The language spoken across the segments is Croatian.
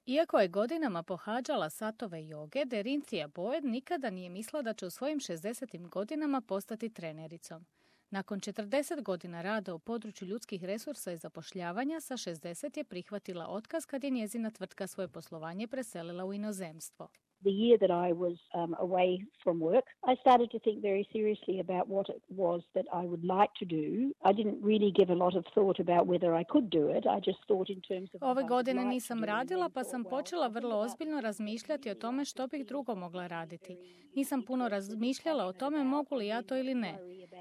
Iako je godinama pohađala satove joge, Derinthia Boyd nikada nije mislila da će u svojim 60. godinama postati trenericom. Nakon 40 godina rada u području ljudskih resursa i zapošljavanja, sa 60 je prihvatila otkaz kad je njezina tvrtka svoje poslovanje preselila u inozemstvo. The year that I was away from work, I started to think very seriously about what it was that I would like to do. I didn't really give a lot of thought about whether I could do it. I just thought in terms of... Ove godine nisam radila, pa sam počela vrlo ozbiljno razmišljati o tome što bih drugo mogla raditi. Nisam puno razmišljala o tome mogu li ja to ili ne.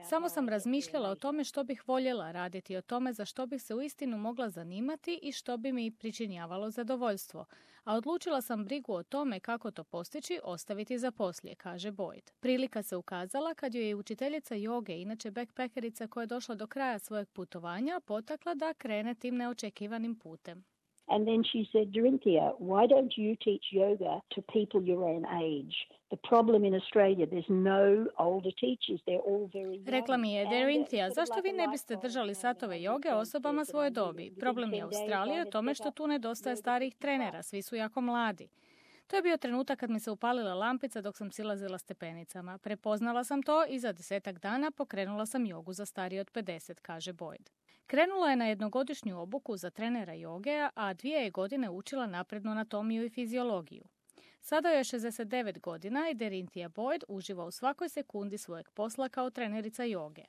Samo sam razmišljala o tome što bih voljela raditi, o tome za što bih se uistinu mogla zanimati i što bi mi pričinjavalo zadovoljstvo. A odlučila sam brigu o tome kako to postići ostaviti za poslije, kaže Boyd. Prilika se ukazala kad joj je učiteljica joge, inače backpackerica koja je došla do kraja svojeg putovanja, potakla da krene tim neočekivanim putem. And then she said, Derinthia, why don't you teach yoga to people your own age? The problem in Australia, there's no older teachers, they're all very young. Rekla mi je, Derinthia, zašto vi ne biste držali satove joge osobama svoje dobi? Problem je u Australiji u tome što tu nedostaje starih trenera, svi su jako mladi. To je bio trenutak kad mi se upalila lampica dok sam silazila stepenicama. Prepoznala sam to i za 10 dana pokrenula sam jogu za starije od 50, kaže Boyd. Krenula je na jednogodišnju obuku za trenera joge, a 2 godine učila naprednu anatomiju i fiziologiju. Sada je 69 godina i Derinthia Boyd uživa u svakoj sekundi svojeg posla kao trenerica joge.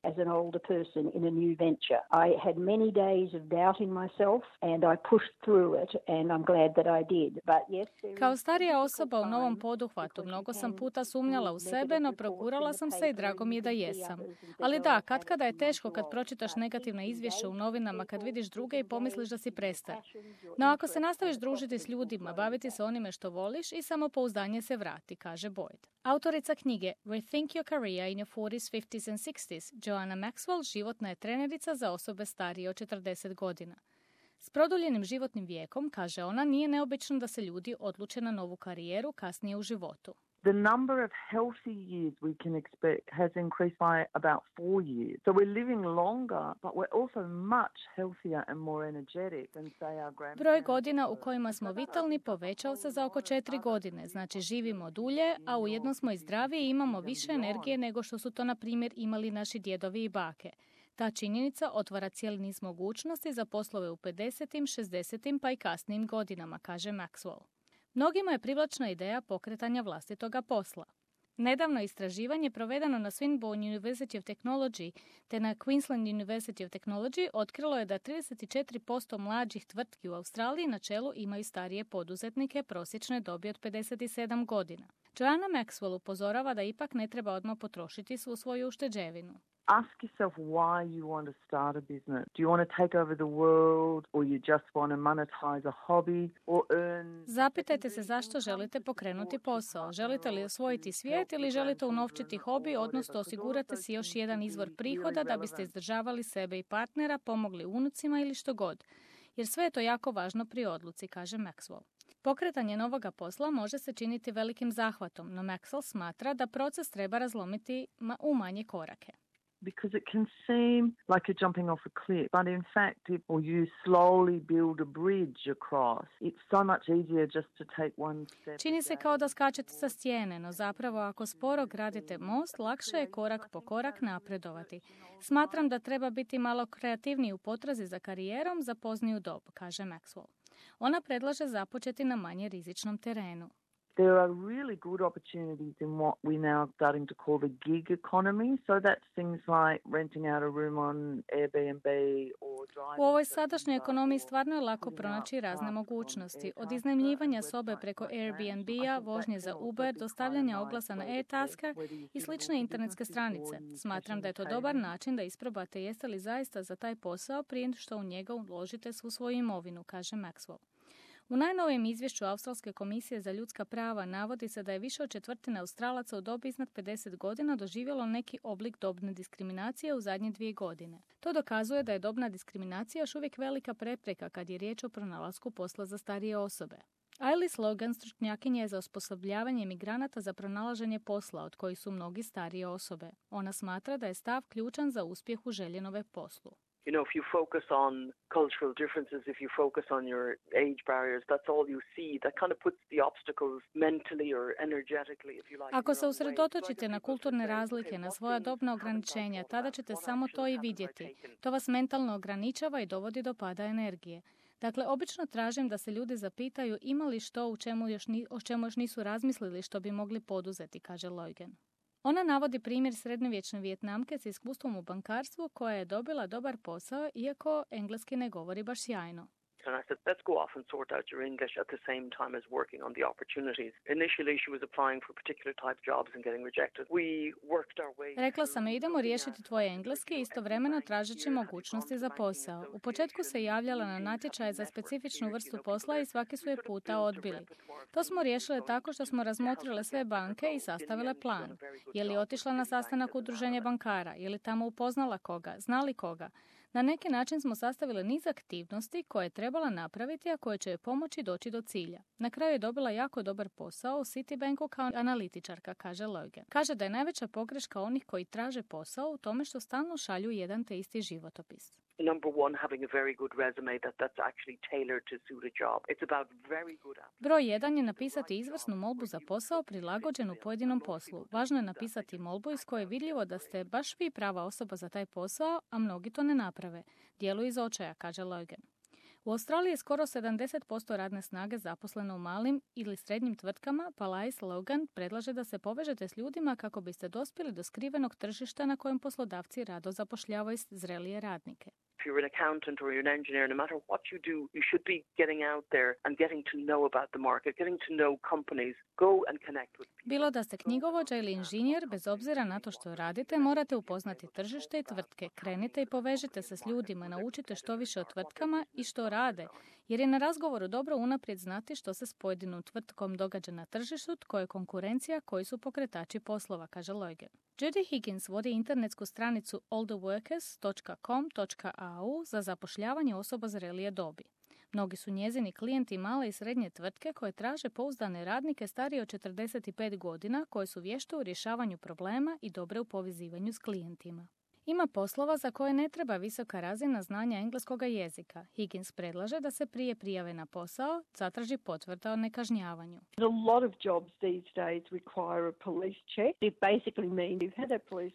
As an older person in a new venture, I had many days of doubting myself and I pushed through it and I'm glad that I did. But yes, kao starija osoba u novom poduhvatu, mnogo sam puta sumnjala u sebe, no progurala sam se i drago mi je da jesam. Ali da, katkada je teško kad pročitaš negativna izvješća u novinama, kad vidiš druge i pomisliš da si prestar. No ako se nastaviš družiti s ljudima, baviti se onime što voliš i samopouzdanje se vrati, kaže Boyd. Autorica knjige Rethink Your Career in Your 40s, 50s and 60s, Joanna Maxwell životna je trenerica za osobe starije od 40 godina. S produljenim životnim vijekom, kaže ona, nije neobično da se ljudi odluče na novu karijeru kasnije u životu. The number of healthy years we can expect has increased by about 4 years. So we're living longer, but we're also much healthier and more energetic than say our grandparents. Broj godina u kojima smo vitalni povećao se za oko 4 godine, znači živimo dulje, a ujedno smo i zdraviji i imamo više energije nego što su to, na primjer, imali naši djedovi i bake. Ta činjenica otvara cijeli niz mogućnosti za poslove u 50., 60. pa i kasnijim godinama, kaže Maxwell. Mnogima je privlačna ideja pokretanja vlastitoga posla. Nedavno istraživanje provedeno na Swinburne University of Technology te na Queensland University of Technology otkrilo je da 34% mlađih tvrtki u Australiji na čelu imaju starije poduzetnike prosječne dobi od 57 godina. Joanna Maxwell upozorava da ipak ne treba odmah potrošiti svu svoju ušteđevinu. Ask yourself why you want to start a business. Do you want to take over the world or you just want to monetize a hobby or earn... Zapitajte se zašto želite pokrenuti posao. Želite li osvojiti svijet ili želite unovčiti hobi, odnosno osigurate si još jedan izvor prihoda da biste izdržavali sebe i partnera, pomogli unucima ili što god. Jer sve je to jako važno pri odluci, kaže Maxwell. Pokretanje novoga posla može se činiti velikim zahvatom, no Maxwell smatra da proces treba razlomiti u manje korake. Because it can seem like you're jumping off a cliff, but in fact, or you slowly build a bridge across, it's so much easier just to take one step. Čini se kao da skačete sa stijene, no zapravo ako sporo gradite most, lakše je korak po korak napredovati. Smatram da treba biti malo kreativniji u potrazi za karijerom za pozniju dob, kaže Maxwell. Ona predlaže započeti na manje rizičnom terenu. There are really good opportunities in what we're now starting to call the gig economy. So that's things like renting out a room on Airbnb or driving. U ovoj sadašnjoj ekonomiji stvarno je lako pronaći razne mogućnosti. Od iznajmljivanja sobe preko Airbnb-a, vožnje za Uber, dostavljanja oglasa na e-tasker i slične internetske stranice. Smatram da je to dobar način da isprobate jeste li zaista za taj posao prije što u njega uložite svu svoju imovinu, kaže Maxwell. U najnovijem izvješću Australske komisije za ljudska prava navodi se da je više od četvrtine Australaca u dobi iznad 50 godina doživjelo neki oblik dobne diskriminacije u zadnje 2 godine. To dokazuje da je dobna diskriminacija još uvijek velika prepreka kad je riječ o pronalasku posla za starije osobe. Ailis Logan stručnjakinja je za osposobljavanje migranata za pronalaženje posla, od kojih su mnogi starije osobe. Ona smatra da je stav ključan za uspjeh u željenome poslu. You know, if you focus on cultural differences, if you focus on your age barriers, that's all you see. That kind of puts the obstacles mentally or energetically, if you like. Ako se usredotočite na kulturne razlike, na svoja dobna ograničenja, tada ćete samo to i vidjeti. To vas mentalno ograničava i dovodi do pada energije. Dakle, obično tražim da se ljudi zapitaju ima li što o čemu još nisu razmislili što bi mogli poduzeti, kaže Loigen. Ona navodi primjer srednjovječne Vijetnamke s iskustvom u bankarstvu koja je dobila dobar posao iako engleski ne govori baš sjajno. And I said, let's go off and sort out your English at the same time as working on the opportunities. Initially, she was applying for particular type jobs and getting rejected. We worked our way. Rekla sam, idemo riješiti tvoj engleski i istovremeno tražeći mogućnosti za posao. U početku se javljala na natječaje za specifičnu vrstu posla i svaki su je puta odbili. To smo riješile tako što smo razmotrile sve banke i sastavile plan. Je li otišla na sastanak udruženja bankara? Je li tamo upoznala koga? Znali koga? Na neki način smo sastavili niz aktivnosti koje je trebala napraviti, a koje će joj pomoći doći do cilja. Na kraju je dobila jako dobar posao u Citibanku kao analitičarka, kaže Loigen. Kaže da je najveća pogreška onih koji traže posao u tome što stalno šalju jedan te isti životopis. Number one, having a very good resume that's actually tailored to suit a job. It's about very good apps. Broj 1 je napisati izvrsnu molbu za posao prilagođenu pojedinom poslu. Važno je napisati molbu iz koje je vidljivo da ste baš vi prava osoba za taj posao, a mnogi to ne naprave. Djeluju iz očaja, kaže Loigen. U Australiji je skoro 70% radne snage zaposleno u malim ili srednjim tvrtkama, pa Lais Logan predlaže da se povežete s ljudima kako biste dospjeli do skrivenog tržišta na kojem poslodavci rado zapošljavaju zrelije radnike. If you're an accountant or you're an engineer, no matter what you do, you should be getting out there and getting to know about the market, getting to know companies. Go and connect with people. Bilo da ste knjigovođa ili inženjer, bez obzira na to što radite, morate upoznati tržište i tvrtke. Krenite i povežite se s ljudima, naučite što više o tvrtkama i što rade, jer je na razgovoru dobro unaprijed znati što se s pojedinom tvrtkom događa na tržištu, tko je konkurencija, koji su pokretači poslova, kaže Loigen. Judy Higgins vodi internetsku stranicu alltheworkers.com.au za zapošljavanje osoba zrelije dobi. Mnogi su njezini klijenti male i srednje tvrtke koje traže pouzdane radnike starije od 45 godina koje su vješte u rješavanju problema i dobre u povezivanju s klijentima. Ima poslova za koje ne treba visoka razina znanja engleskoga jezika. Higgins predlaže da se prije prijave na posao zatraži potvrda o nekažnjavanju.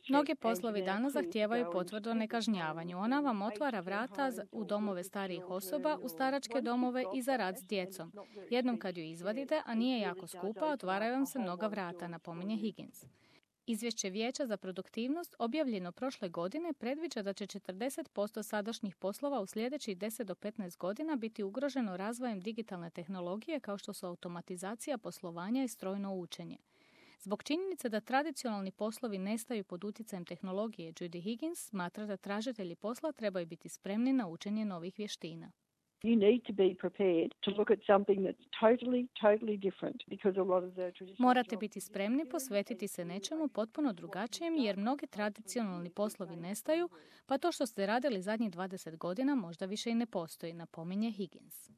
Mnogi poslovi danas zahtijevaju potvrdu o nekažnjavanju. Ona vam otvara vrata u domove starijih osoba, u staračke domove i za rad s djecom. Jednom kad ju izvadite, a nije jako skupa, otvaraju vam se mnoga vrata, napominje Higgins. Izvješće Vijeća za produktivnost objavljeno prošle godine predviđa da će 40% sadašnjih poslova u sljedećih 10 do 15 godina biti ugroženo razvojem digitalne tehnologije kao što su automatizacija poslovanja i strojno učenje. Zbog činjenice da tradicionalni poslovi nestaju pod utjecajem tehnologije, Judy Higgins smatra da tražitelji posla trebaju biti spremni na učenje novih vještina. You need to be prepared to look at something that's totally different because a lot of the traditional. Morate biti spremni posvetiti se nečemu potpuno drugačijem jer mnogi tradicionalni poslovi nestaju, pa to što ste radili zadnjih 20 godina možda više i ne postoji, napominje Higgins.